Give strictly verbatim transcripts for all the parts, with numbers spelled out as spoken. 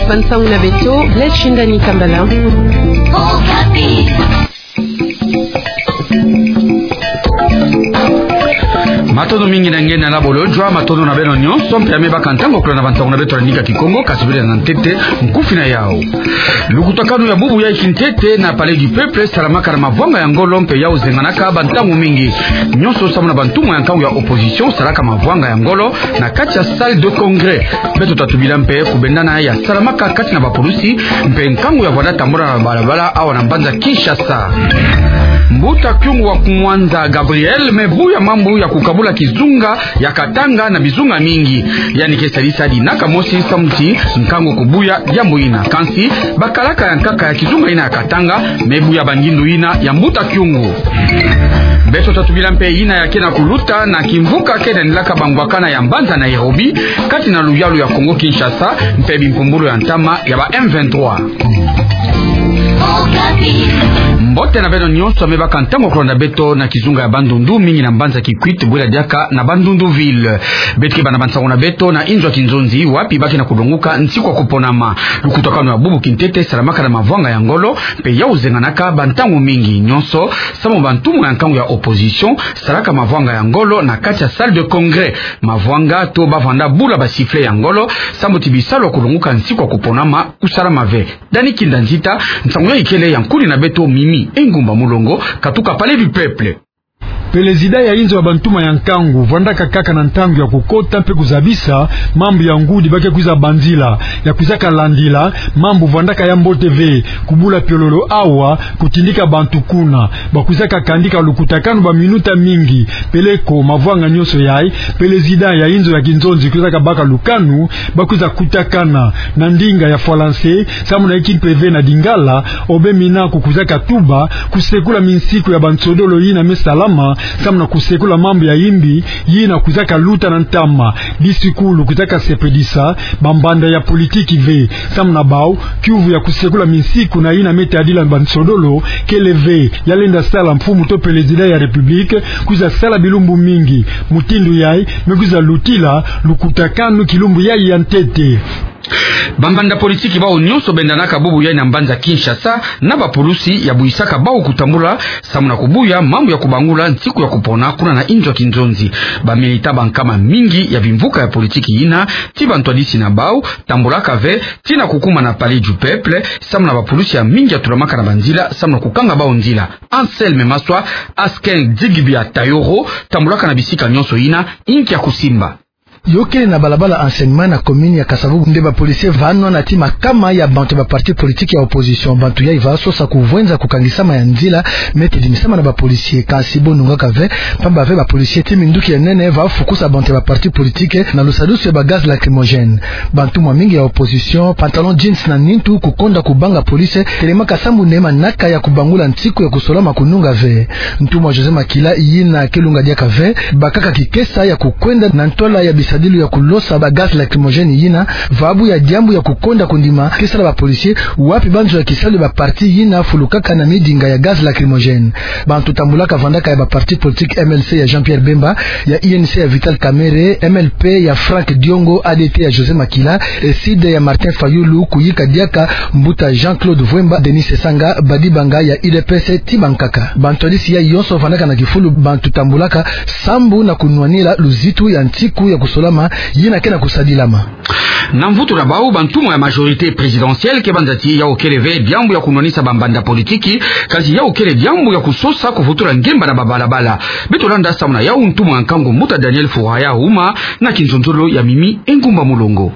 Bansango na beto, Blaise Shindani Kambala. Matondo mingi na nge na labolo, jwa matondo na beno nyonso, mpe ya me baka ntango ya kolanda bansango na beto na ndinga Kikongo, kasi bele na ntete nkufi na yau. Lukutakanu ya bubu yai kintete na Palais du Peuple salamaka na mavwanga ya ngolo mpe yau zenganaka bantango mingi. Nyonso samu na bantumwa ya nkangu ya opposition salaka mavwanga ya ngolo na kati ya salle de congrès. Beto tatubila mpe kubendana ya salamaka kati na bapulusi mpe nkangu ya vwanda tambula na balabala awa na mbanza Kinshasa. Mbuta Kyungu wa Kumwanza Gabriel me buya mambu ya kukabula kizunga ya Katanga na bizunga mingi. Yandi ke sadisa dina kamosi samu ti nkangu kubuya diambu ina. Kansi bakalaka ya nkaka ya kizunga ina ya Katanga me buya bangindu ina ya Mbuta Kyungu. Beto tatubila mpe ina ya ke na kuluta na kimvuka ke na nilaka bangwakana ya mbanza Nairobi, kati na luyalu ya Kongo Kinshasa, mpe bimpumbulu ya ntama ya ba M vingt-trois. Mbote na beno nyonso ya me baka ntango ya kolanda beto na kizunga ya Bandundu, mingi na mbanza Kikwit, bwela diaka na Bandundu ville. Beto ke banda bansango na beto na inzo ya kinzonzi, wapi ba ke na kulonguka nsiku ya kuponama. Lukutakanu ya bubu kintete salamaka na mavwanga ya ngolo, mpe yau zenganaka bantango mingi. Nyonso samu bantumwa ya nkangu ya opposition salaka mavwanga ya ngolo na kati ya salle de congrès. Mavwanga to bavwanda bula ba sifflet ya ngolo, samu ti bisalu ya kulonguka nsiku ya kuponama kusalama ve. Dani Kinda Nzita, nsangu yai kele ya nkuni na beto Mimi Engumba Mulongo, katuka Palais du Peuple. Pelezida ya inzo ya bantumwa ya nkangu vwandaka kaka na ntangu ya kukota mpe kuzabisa mambu ya ngudi ba ke kwiza banzila, ya kwizaka landila mambu vwandaka ya mbote ve, kubula piololo awa, kutindika bantu kuna. Ba kwizaka kandika lukutakanu ba minuta mingi, peleko mavwanga nyonso yai, pelezida ya inzo ya kinzonzi kwizaka baka lukanu, ba kwiza kutakana na ndinga ya falanse, samu na inki mpe ve na lingala, obe mina ku kwizaka tuba, kusekula minsiku ya bansodolo yina me salama, samu na kusekula mambu ya imbi, yina kwizaka luta na ntama. Disikulu kwizaka sepelisa bambanda ya politiki ve, samu na bau, kiuvu ya kusekula minsiku na yina me tadila bansodolo, kele ve, ya lenda sala mfumu to pelezida ya République, kwiza sala bilumbu mingi. Mutindu yai, me kwiza lutila lukutakanu kilumbu yai ya ntete. Bambanda politiki bau nyonso bendanaka bubu yai na mbanza Kinshasa, na bapulusi ya buyisaka bau kutambula, samu na kubuya mambu ya kubangula nsiku ya kupona kuna na inzo ya kinzonzi. Ba militants ba nkama mingi ya bimvuka ya politiki yina, ti bantwadisi na bau, tambulaka ve, tii na kukuma na Palais du Peuple, samu na bapulusi ya mingi ya tulamaka na banzila, samu na kukanga bau nzila. Anselme Maswa, Asken Digbia Tayoro, tambulaka na bisika nyonso yina, inki ya kusimba. Yo kele na balabala Enseignement na commune ya Kasa-Vubu nde ba policiers va nwana ti makama ya bantu ba parti politique ya opposition. Bantu yai va sosa kuvwenza kukangisama ya nzila me ke dimisama na ba policiers. Kansi bo nungaka ve, pamba ve ba policiers ti minduki ya nene va fukusa bantu ya ba parti politique na lusadusu ya ba gaz lacrymogène. Bantumwa mingi ya opposition, pantalon jeans na nintu, kukonda kubanga police, telemaka sambu nde manaka ya kubangula nsiku ya kusolama kununga ve. Ntumwa José Makila yina ke lunga diaka ve, bakaka kikesa ya kukwenda na ntwala ya bisadilu ya kulosa ba gaz lacrymogène yina, va buya diambu ya kukonda kundima kesa la ba policiers, wapi banzo ya kisalu ya ba parti yina fulukaka na midinga ya gaz lacrymogène. Bantu tambulaka vandaka ya ba parti politique M L C ya Jean-Pierre Bemba, ya U N C ya Vital Kamerhe, M L P ya Franck Diongo, A D T ya José Makila, e CID ya Martin Fayulu, kuyika diaka mbuta Jean-Claude Vuemba, Denis Sassou Nguesso, Badibanga ya U D P S ti bankaka. Bantwadisi yai yonso vandaka na kifulu bantu tambulaka sambu na kunwanina luzitu ya nsiku ya kusolama yina ke na kusadilama. Na mvutu na bau, bantumwa ya majorité présidentielle ke banza ti yau kele ve diambu ya kunwanisa bambanda politiki, kansi yau kele diambu ya kusosa kuvutula ngemba na babalabala. Beto landa samu na yau ntumwa ya nkangu mbuta Daniel Furaya Huma na kinzonzolo ya Mimi Engumba Mulongo.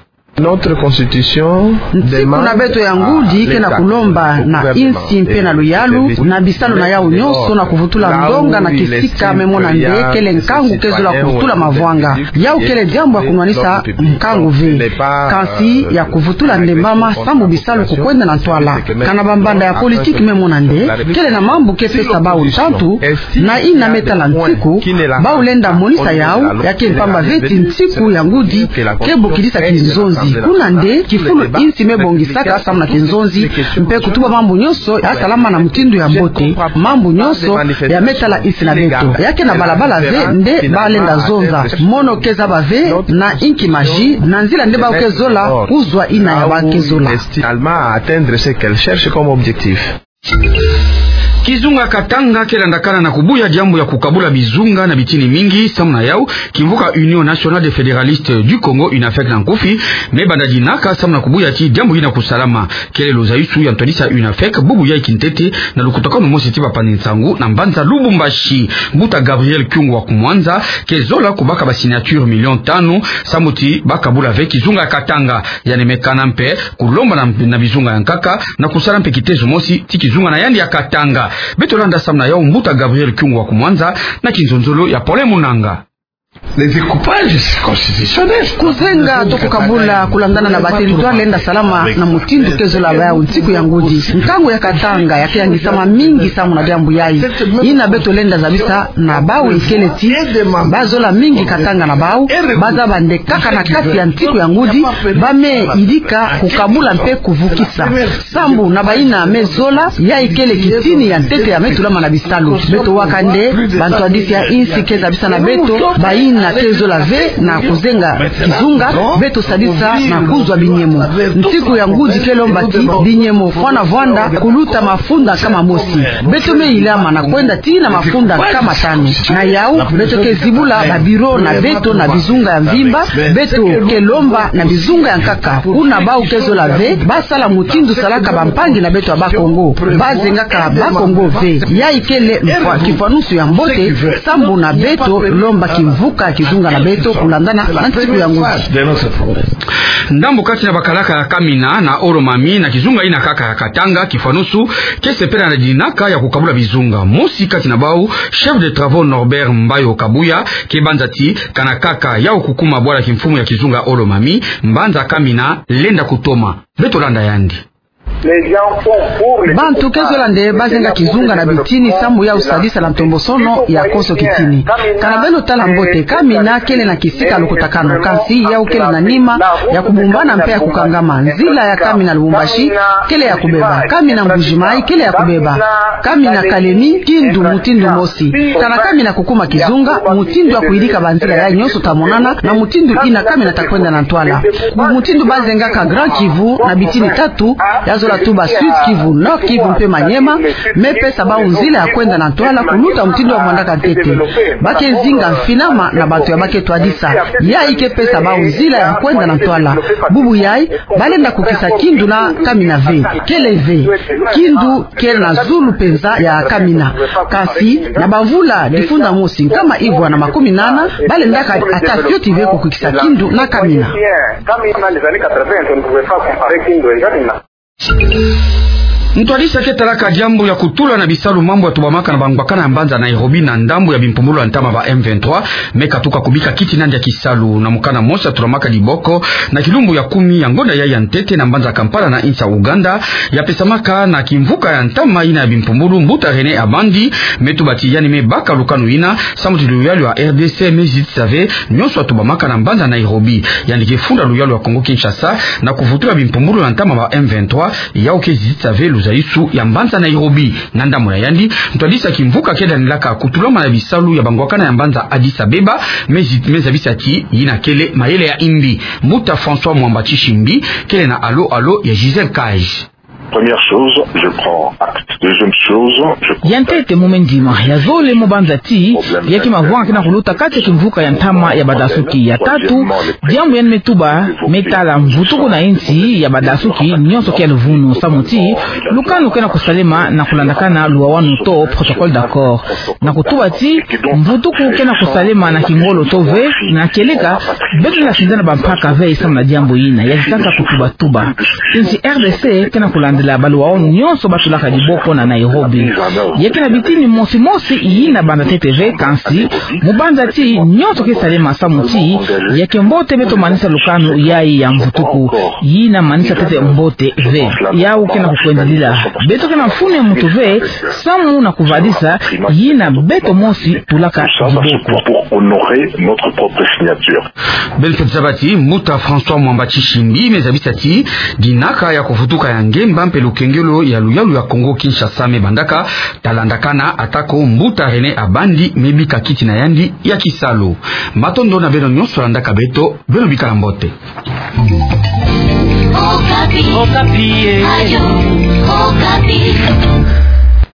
Nsiku na beto ya ngudi ke na kulomba na insi mpe na luyalu, na bisalu na yau nyonso na kuvutula ndonga na kisika me mona nde kele nkangu ke zola kuvutula mavwanga. Yau kele diambu ya kunwanisa nkangu ve. Kansi ya kuvutula ndembama sambu bisalu kukwenda na ntwala. Kana bambanda ya politiki me mona nde kele na mambu ke pesa bau ntantu, na yina me tala nsiku, bau lenda monisa yau, ya ke mpamba ve ti nsiku ya ngudi ke bokidisa kinzonzi. Kuna nde kifulu insi mebongisaka samu na kinzonzi, mpe kutuba mambu nyonso yasalama na mutindu ya mbote, mambu nyonso ya metala insi na beto. Ya ke na balabala ve nde balenda zonza. Mono ke zaba ve na inki maji, na nzila nde bawu ke zola kuzwa yina ya ba ke zola. Finalement, à atteindre ce qu'elle cherche comme objectif. Kizunga Katanga ke landakana na kubuya diambu ya kukabula bizunga na bitini mingi, samu na yawu, kimvuka Union Nationale des Fédéralistes du Congo, UNAFEC na nkufi, me banda dinaka samu na kubuya ti diambu yina kusalama. Kele luzayusu ya ntwadisi ya UNAFEC, bubu yayi kintete, na lukutakanu mosi ti bapanzi nsangu na mbanza Lubumbashi. Mbuta Gabriel Kyungu wa ku Mwanza ke zola kubaka ba signature million tanu, samu ti bakabula ve kizunga Katanga. Yandi me kana mpe kulomba na, na bizunga ya nkaka na kusala mpe kitezo mosi ti kizunga na yandi ya Katanga. Beto landa samu na yawu mbuta Gabriel Kyungu wa ku Mwanza na kinzonzolo ya Pole Munanga. Le découpage, c'est constitutionnel. Kuzenga to kukabula kulandana na ba territoire lenda salama na mutindu ke zola baya nsiku ya ngudi. Nkangu ya Katanga ya ke yangisama mingi samu na diambu yayi. Yina beto lenda zabisa na bawu ikele ti bazola mingi Katanga na bawu, bazaba nde kaka na kati ya nsiku ya ngudi, ba me yidika kukabula mpe kuvukisa. Sambu na bayina me zola, yayi kele kitini ya ntete ya me tulama na bisalu. Beto waka nde bantwadisi ya insi ke zabisa na beto, bayina ke zola ve na kuzenga kizunga, beto sadisa na kuzwa binyemo. Nsiku ya ngudi ke lomba ti binyemo fwana vwanda kuluta mafunda nkama mosi. Beto me yilama na kwenda tii na mafunda nkama tanu. Na yawu, beto ke zibula ba bureau na beto na bizunga ya mvimba, beto ke lomba na bizunga ya nkaka. Kuna bawu ke zola ve, basala mutindu salaka bampangi na beto ya Bakongo. Bazengaka Bakongo ve. Yayi kele mfwa-, kifwanusu ya mbote, sambu na beto lomba kimvuka kizunga na beto kulandana na nsiku ya ngudi. Ndambu kati na bakalaka ya Kamina na Olomami na kizunga yina kaka ya Katanga, kifwanusu ke sepela na dinaka ya kukabula bizunga. Mosi kati na bawu, chef de travaux Norbert Mbayo Kabuya, ke banza ti kana kaka yawu kukuma bwala kimfumu ya kizunga Olomami, mbanza Kamina lenda kutoma. Beto landa yandi. Bantu ke zola nde bazenga kizunga na bitini sambu yawu sadisa na ntombosono ya konso kitini. Kana beno tala mbote, Kamina kele na kisika lukutakanu, kansi yawu kele na nima ya kubumbana mpe ya kukangama. Nzila ya Kamina Lubumbashi kele ya kubeba. Kamina Mbuji-Mayi kele ya kubeba. Kamina Kalemi, Kindu, mutindu mosi. Kana Kamina kukuma kizunga, mutindu ya kuyidika banzila yayi nyonso ta monana, na mutindu yina Kamina ta kwenda na ntwala. Mutindu bazengaka Grand Kivu na bitini tatu, ya zola tuba Sud Kivu, Nord Kivu mpe Maniema, me pesa bawu nzila ya kwenda na ntwala kuluta mutindu ya vwandaka ntete. Ba ke zinga mfinama na bantu ya ba ke twadisa. Yayi ke pesa bawu nzila ya kwenda na ntwala. Bubu yayi, balenda kukisa Kindu na Kamina ve. Kele ve. Kindu kele na zulu penza ya Kamina. Kansi, na bamvula difunda mosi nkama ivwa na makumi nana, balendaka ata fioti ve kukisa Kindu na Kamina. Ntwadisi ya ke talaka diambu ya kutula na bisalu mambu ya tubamaka na bangwakana ya mbanza Nairobi na ndambu ya bimpumbulu ya ntama ba M vingt-trois, me katuka kubika kiti nandi ya kisalu. Na mukana mosi ya tulamaka diboko na kilumbu ya kumi ya ngonda yayi ya ntete na mbanza Kampala na insi ya Uganda, ya pesamaka na kimvuka ya ntama yina ya bimpumbulu, mbuta René Abandi me tuba ti yandi me baka lukanu yina, samu ti luyalu ya R D C me zitisa ve nyonso ya tubamaka na mbanza Nairobi. Yandi ke funda luyalu ya Congo Kinshasa na kuvutula bimpumbulu ya ntama ba M vingt-trois, yawu ke zitisa ve luzayusu ya mbanza Nairobi. Na ndambu na yandi, ntwadisi ya kimvuka ke danilaka kutulama na bisalu ya bangwakana ya mbanza Addis Abeba, me zi-, me zabisa ti yina kele mayele ya imbi. Mbuta François Mwamba Tshishimbi, kele na alo alo ya Gisèle Cage. Première chose, je prends acte. Deuxième chose, je constate. Ya ntete mu me ndima, ya zole mu banza ti, ya ke mavwanga kena kuluta kati ya kimvuka ya ntama ya badasuki. Ya tatu, diambu yandi me tuba, me tala mvutuku na insi ya badasuki nyonso ke ya luvunu, samu ti lukanu kena kusalema na kulandakana luwawanu to protocole d'accord. Na kutuba ti mvutuku kena kusalema na kingolo to ve, na kieleka, beto lenda sinzana bampaka ve samu na diambu yina, ya zitaka kutubatuba. Insi R D C kena kulanda la baluaono nyonso batulaka diboko na Nairobi. Ya ke na bitini mosi mosi yina banda ntete ve, kansi mu banza ti nyonso ke salema samu ti ya ke mbote beto manisa lukanu yayi ya mvutuku. Yina manisa ntete mbote ve. Yawu ke na kukwendilila. Beto ke na mfunu ya muntu ve samu na kuvadisa yina beto mosi tulaka diboko. Pour honorer notre propre signature. Beno fweti zaba ti mbuta François Mwamba Tshishimbi me zabisa ti dinaka ya kuvutuka ya ngemba mpe lukengelo ya luyalu ya Kongo Kinshasa me bandaka, talandakana, atako mbuta René Abandi me bika kiti na yandi ya kisalu. Matondo na beno nyonso landaka beto, beno bika na mbote. Okapi. Okapi, eh. Radio